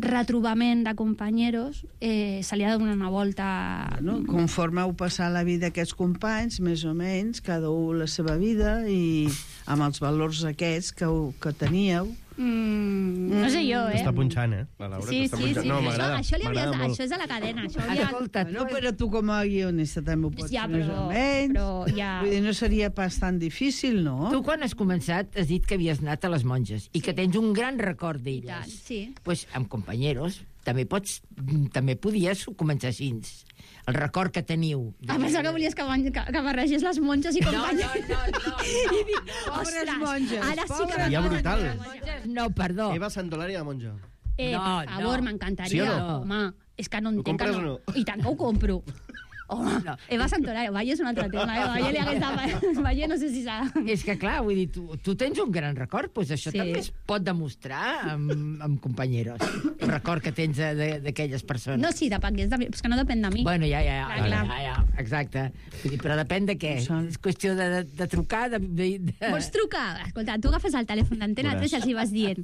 retrobament de Compañeros se li ha de donar una volta. Conforme heu passat la vida aquests companys, més o menys, cada un la seva vida, i amb els valors aquests que teníeu, No sé jo, Està punxant, La Laura t'està punxant. No, m'agrada. Això és a la cadena. Escolta, No, però tu com a guionista també ho pots Ja, més o menys. però ja... Vull dir, no seria pas tan difícil, no? tu quan has començat has dit que havies anat a les monges i que tens un gran record tant, d'elles. sí. Pues amb companyeros també podies començar així. El record que teniu. Pensava que volies que barregés les monges i companyes. Pobres monges. Ara sí que... Ja brutal. No, perdó. Eva Santolari de monja. No, Per favor, no. m'encantaria. Sí o no? Home, és que no Ho entenc que compres no. o no? I tant que ho compro. Home, No. Eva Santolari, Valle és un altre tema. Valle li hagués de... Valle no sé si s'ha... És que, clar, vull dir, tu tens un gran record, doncs això Sí. també es pot demostrar amb companyeros. El record que tens d'aquelles persones. No, sí, depengués de mi, és que no depèn de mi. Bueno, ja, Clar. exacte. Vull dir, però depèn de què. És qüestió de trucar, de... Vols trucar? Escolta, tu agafes el telèfon d'Antena 3 i els hi vas dient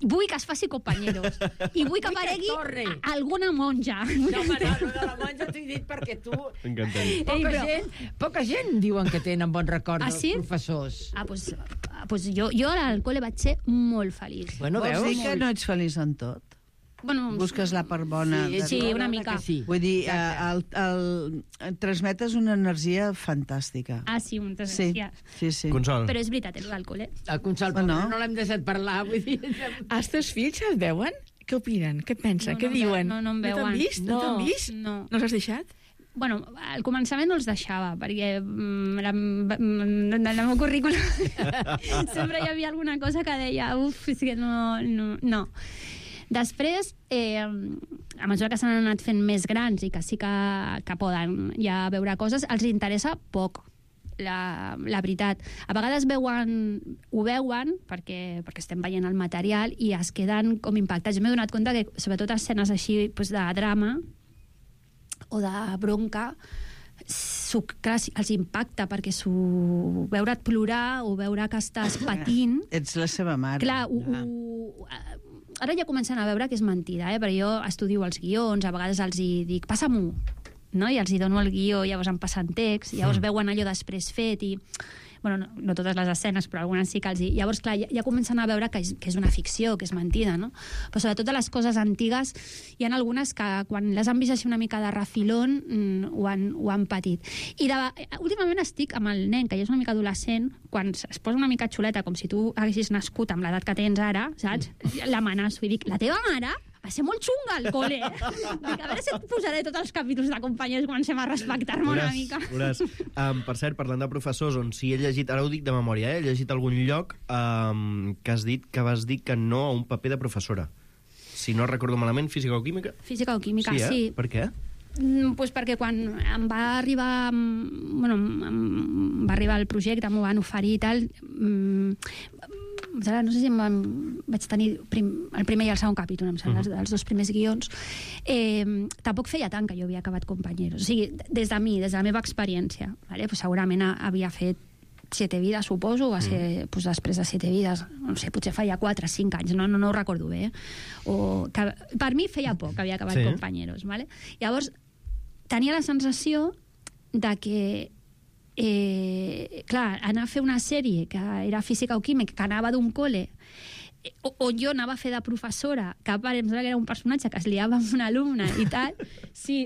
vull que es faci companyeros i vull que Vull que aparegui torni. alguna monja. No, home, no, de la monja t'ho he dit perquè tu... M'encantaria. Poca gent diuen que tenen bon record Ah, dels sí? professors. Pues jo al col·le vaig ser molt feliç. Bueno, Vols veus? dir que no ets feliç en tot? Bueno, Busques la part bona? Sí, una mica. Sí. Vull dir, transmetes una energia fantàstica. sí, moltes Sí, gràcies. sí. Consol. Però és veritat, el col·le. El Consol, Bueno. no l'hem deixat parlar, vull dir... Els teus fills es veuen? Què opinen? Què pensen? Què diuen? No em No veuen. t'han vist? No t'han vist? No. No els has deixat? Bueno, al començament no els deixava, perquè en el meu currículum sempre hi havia alguna cosa que deia és que no. Després, a mesura que s'han anat fent més grans i que sí que poden ja veure coses, els interessa poc. La veritat. A vegades ho veuen perquè estem veient el material i es queden com impactats. Jo m'he donat compte que, sobretot escenes així de drama o de bronca, clar, els impacta perquè veure't plorar o veure que estàs patint. Ets la seva mare. Clar, ara ja comencen a veure que és mentida, perquè jo estudio els guions, a vegades els hi dic, passa-m'ho, no? I els hi dono el guió, llavors em passen text, llavors veuen allò després fet i... Bueno, no totes les escenes, però algunes sí que els hi... Llavors, clar, ja comencen a veure que és una ficció, que és mentida, no? Però sobretot de les coses antigues, hi ha algunes que quan les han vist així una mica de refilón ho han patit. I últimament estic amb el nen, que ja és una mica adolescent, quan es posa una mica xuleta, com si tu haguessis nascut amb l'edat que tens ara, saps? L'amenaço i dic, la teva mare va ser molt xunga al col·le. Dic, a veure si et posaré tots els capítols de companys i comencem a respectar-me una mica. Per cert, parlant de professors, on si he llegit, ara ho dic de memòria, he llegit algun lloc que vas dir que no a un paper de professora. Si no recordo malament, física o química? Física o química, sí. Sí. Per què? Pues perquè quan em va arribar el projecte, m'ho van oferir i tal, no sé si vaig tenir el primer i el segon capítol, em sembla, els dos primers guions, tampoc feia tant que jo havia acabat Companyeros. O sigui, des de la meva experiència, pues segurament havia fet 7 vides, suposo, va ser després de 7 vides, no sé, potser feia 4 o 5 anys, no ho recordo bé, o que per mi feia poc que havia acabat Companyeros, vale? Llavors tenia la sensació de que clar, anar a fer una sèrie que era física o química, que anava d'un col·le on jo anava a fer de professora, que a part em sembla que era un personatge que es liava amb una alumna i tal, sí,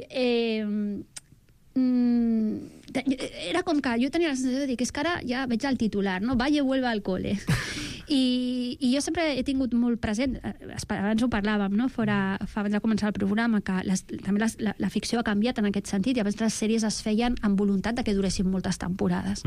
era com que jo tenia la sensació de dir que és que ara ja veig el titular, no? Valle vuelve al cole. I jo sempre he tingut molt present, abans ho parlàvem, no? Abans de començar el programa, que també la ficció ha canviat en aquest sentit, i abans les sèries es feien amb voluntat de que duressin moltes temporades.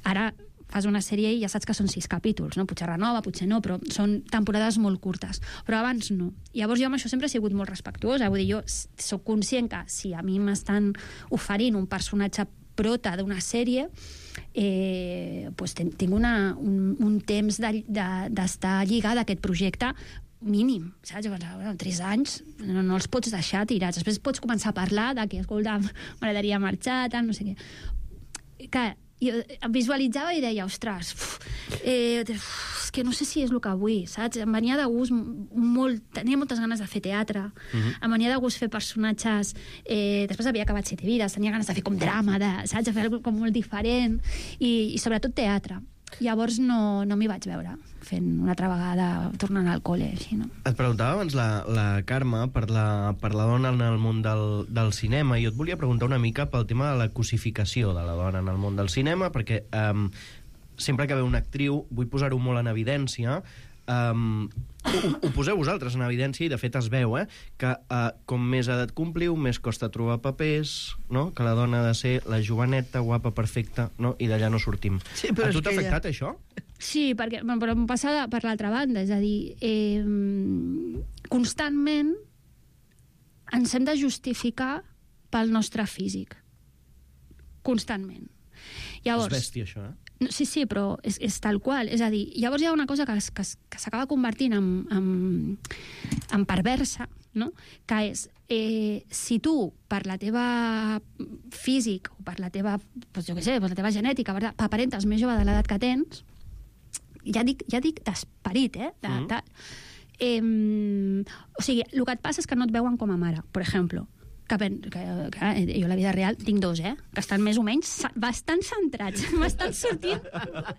Ara fas una sèrie i ja saps que són 6 capítols, no? Potser renova, potser no, però són temporades molt curtes. Però abans no. Llavors jo amb això sempre he sigut molt respectuosa. Vull dir, jo soc conscient que si a mi m'estan oferint un personatge prota d'una sèrie, pues tinc un temps d'estar lligada a aquest projecte mínim, saps? 3 anys no els pots deixar tirats. Després pots començar a parlar de que, escolta, m'agradaria marxar, tal, no sé què. Que jo em visualitzava i deia, ostres, és que no sé si és el que vull, saps? Em venia de gust molt, tenia moltes ganes de fer teatre, em venia de gust fer personatges, després havia acabat 7 vides, tenia ganes de fer com drama, saps? De fer alguna com molt diferent, i sobretot teatre. Llavors no m'hi vaig veure fent una altra vegada, tornant al col·le, així, no? Et preguntava abans la Carme per la dona en el món del cinema, i jo et volia preguntar una mica pel tema de la cosificació de la dona en el món del cinema, perquè sempre que ve una actriu, vull posar-ho molt en evidència, ho poseu vosaltres en evidència, i de fet es veu, que com més edat compliu, més costa trobar papers, no? Que la dona ha de ser la joveneta, guapa, perfecta, no? I d'allà no sortim. Sí, a tu t'ha afectat això? Sí, però em passa per l'altra banda, és a dir, constantment ens hem de justificar pel nostre físic. Constantment. Llavors, És bèstia, això, Sí, però és tal qual. És a dir, llavors hi ha una cosa que s'acaba convertint en perversa, no? Que és, si tu, per la teva físic, o per la teva, doncs jo què sé, per la teva genètica, aparentes més jove de l'edat que tens, ja dic d'esperit, o sigui, el que et passa és que no et veuen com a mare, per exemple. Que jo a la vida real tinc dos, que estan més o menys bastant centrats, m'estan sortint,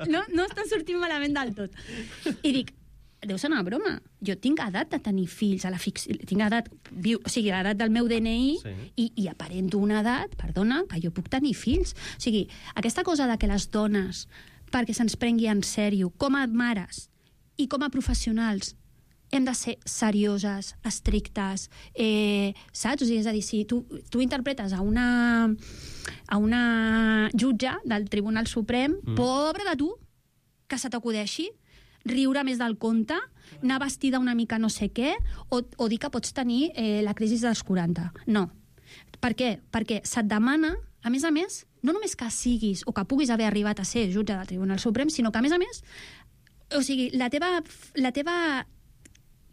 no estan sortint malament del tot. I dic, deu ser una broma, jo tinc edat de tenir fills a la ficció, tinc edat, o sigui, l'edat del meu DNI, sí. i aparento una edat, perdona, que jo puc tenir fills. O sigui, aquesta cosa de que les dones, perquè se'ns prengui en sèrio, com a mares i com a professionals, hem de ser serioses, estrictes, saps? O sigui, és a dir, si tu interpretes a una jutge del Tribunal Suprem, pobre de tu, que se t'acudeixi riure més del compte, anar vestida una mica no sé què, o dir que pots tenir la crisi dels 40. No. Per què? Perquè se't demana, a més, no només que siguis o que puguis haver arribat a ser jutge del Tribunal Suprem, sinó que, a més, o sigui, la teva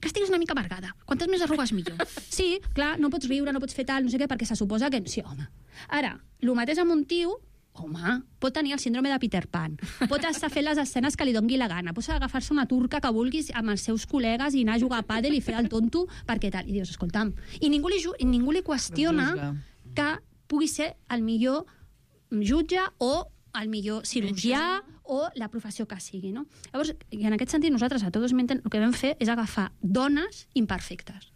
que estiguis una mica amargada. Quantes més arrugues, millor. Sí, clar, no pots riure, no pots fer tal, no sé què, perquè se suposa que... Sí, home. Ara, el mateix amb un tio, home, pot tenir el síndrome de Peter Pan, pot estar fent les escenes que li dongui la gana, pot agafar-se una turca que vulguis amb els seus col·legues i anar a jugar a pàdel i fer el tonto, perquè tal. I dius, escolta'm, i ningú li qüestiona que pugui ser el millor jutge o el millor cirurgià o la professió que sigui, no? Llavors, i en aquest sentit, nosaltres a Todos Mienten el que vam fer és agafar dones imperfectes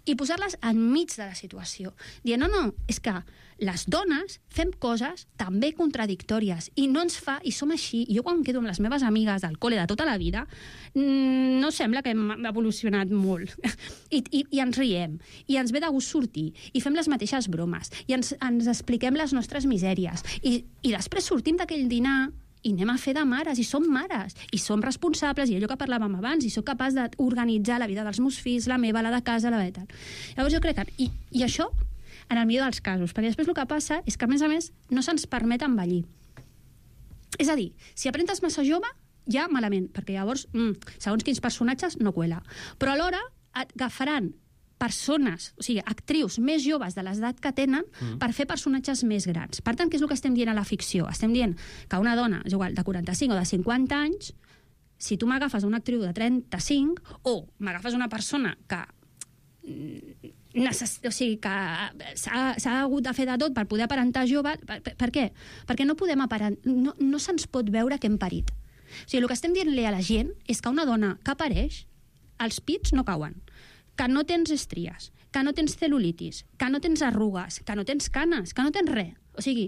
i posar-les enmig de la situació. Dient, no, és que les dones fem coses també contradictòries i no ens fa, i som així, i jo quan quedo amb les meves amigues del col·le de tota la vida, no sembla que hem evolucionat molt. I ens riem, i ens ve de gust sortir, i fem les mateixes bromes, i ens expliquem les nostres misèries, i després sortim d'aquell dinar i anem a fer de mares, i som mares, i som responsables, i allò que parlàvem abans, i sóc capaç d'organitzar la vida dels meus fills, la meva, la de casa, la de tal. Llavors jo crec que... I això, en el millor dels casos, perquè després el que passa és que, a més, no se'ns permet envellir. És a dir, si aprentes massa jove, ja malament, perquè llavors, segons quins personatges, no cuela. Però alhora et agafaran persones, o sigui, actrius més joves de l'edat que tenen per fer personatges més grans. Per tant, què és el que estem dient a la ficció? Estem dient que una dona, és igual, de 45 o de 50 anys, si tu m'agafes una actriu de 35 o m'agafes una persona que o sigui, que s'ha hagut de fer de tot per poder aparentar jove, per què? Perquè no podem no se'ns pot veure que hem parit. O sigui, el que estem dient-li a la gent és que una dona que apareix, els pits no cauen, que no tens estries, que no tens cel·lulitis, que no tens arrugues, que no tens canes, que no tens res. O sigui,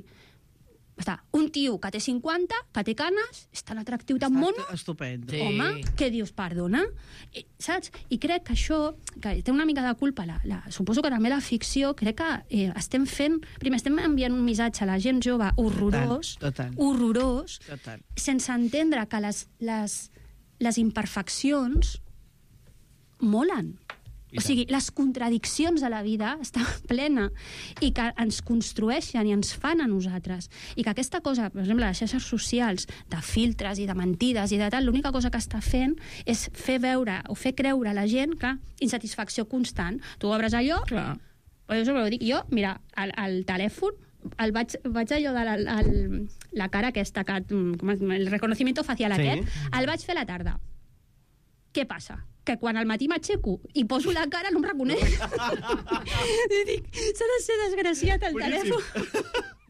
un tio que té 50, que té canes, és tan atractiu, tan mono. Estupendo. Sí. Home, què dius, perdona? Saps? I crec que això, que té una mica de culpa, suposo que també la ficció, crec que estem fent... Primer, estem enviant un missatge a la gent jove horrorós, horrorós, sense entendre que les imperfeccions molen. O sigui, les contradiccions de la vida estan plena i que ens construeixen i ens fan a nosaltres. I que aquesta cosa, per exemple, les xarxes socials, de filtres i de mentides i de tal, l'única cosa que està fent és fer veure o fer creure a la gent que insatisfacció constant. Tu obres allò, jo sempre ho dic, mira, el telèfon, vaig allò de la cara aquesta, el reconocimiento facial aquest, el vaig fer a la tarda. Què passa? Que quan al matí m'aixeco i poso la cara no em reconeix. I dic, s'ha de ser desgraciat el telèfon.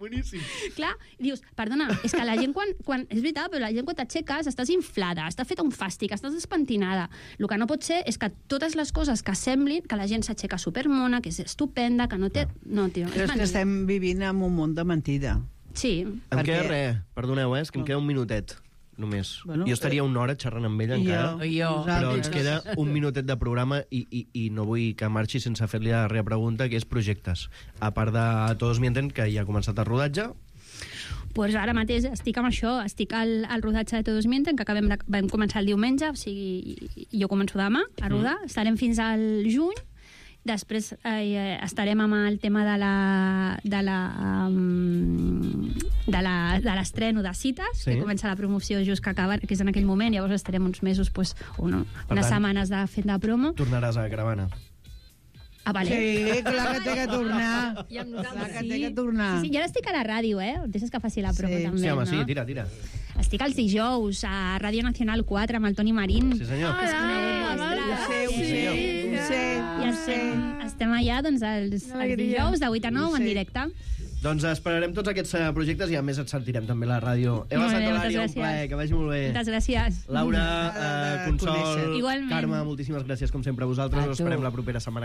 Boníssim. Clar, dius, perdona, és que la gent quan és veritat, però la gent quan t'aixeques estàs inflada, està feta un fàstic, estàs despentinada. El que no pot ser és que totes les coses que semblin que la gent s'aixeca supermona, que és estupenda, que no té... No, tio, Però és que estem vivint en un món de mentida. Sí. Em queda res, perdoneu, és que em queda un minutet. Només. Bueno, jo estaria una hora xerrant amb ella encara, però ens queda un minutet de programa i no vull que marxi sense fer-li la darrera pregunta, que és projectes. A part de Todos Mienten, que ja ha començat el rodatge. Pues ara mateix estic amb això, estic al rodatge de Todos Mienten, que vam començar el diumenge, o sigui, jo començo demà a rodar, estarem fins al juny. Després estarem amb el tema de l'estreno de cites, que comença la promoció just que acaba, que és en aquell moment, llavors estarem uns mesos, unes setmanes fent de promo. Tornaràs a Caravana. Ah, vale. Sí, clar que té que tornar. I amb nosaltres, Clar que té que tornar. Sí, i ara estic a la ràdio, Deixes que faci la promo, també, Sí, home, no? sí, tira. Estic els dijous a Ràdio Nacional 4 amb el Toni Marín. Sí, senyor. I estem allà doncs, els dijous de 8 a 9 en directe. Doncs esperarem tots aquests projectes i a més et sentirem també a la ràdio. Eva Molt bé, Santolària, moltes un plaer, que vagi molt bé. Moltes gràcies. Laura, Consol, Igualment. Carme, moltíssimes gràcies com sempre a vosaltres. Us esperem la propera setmana.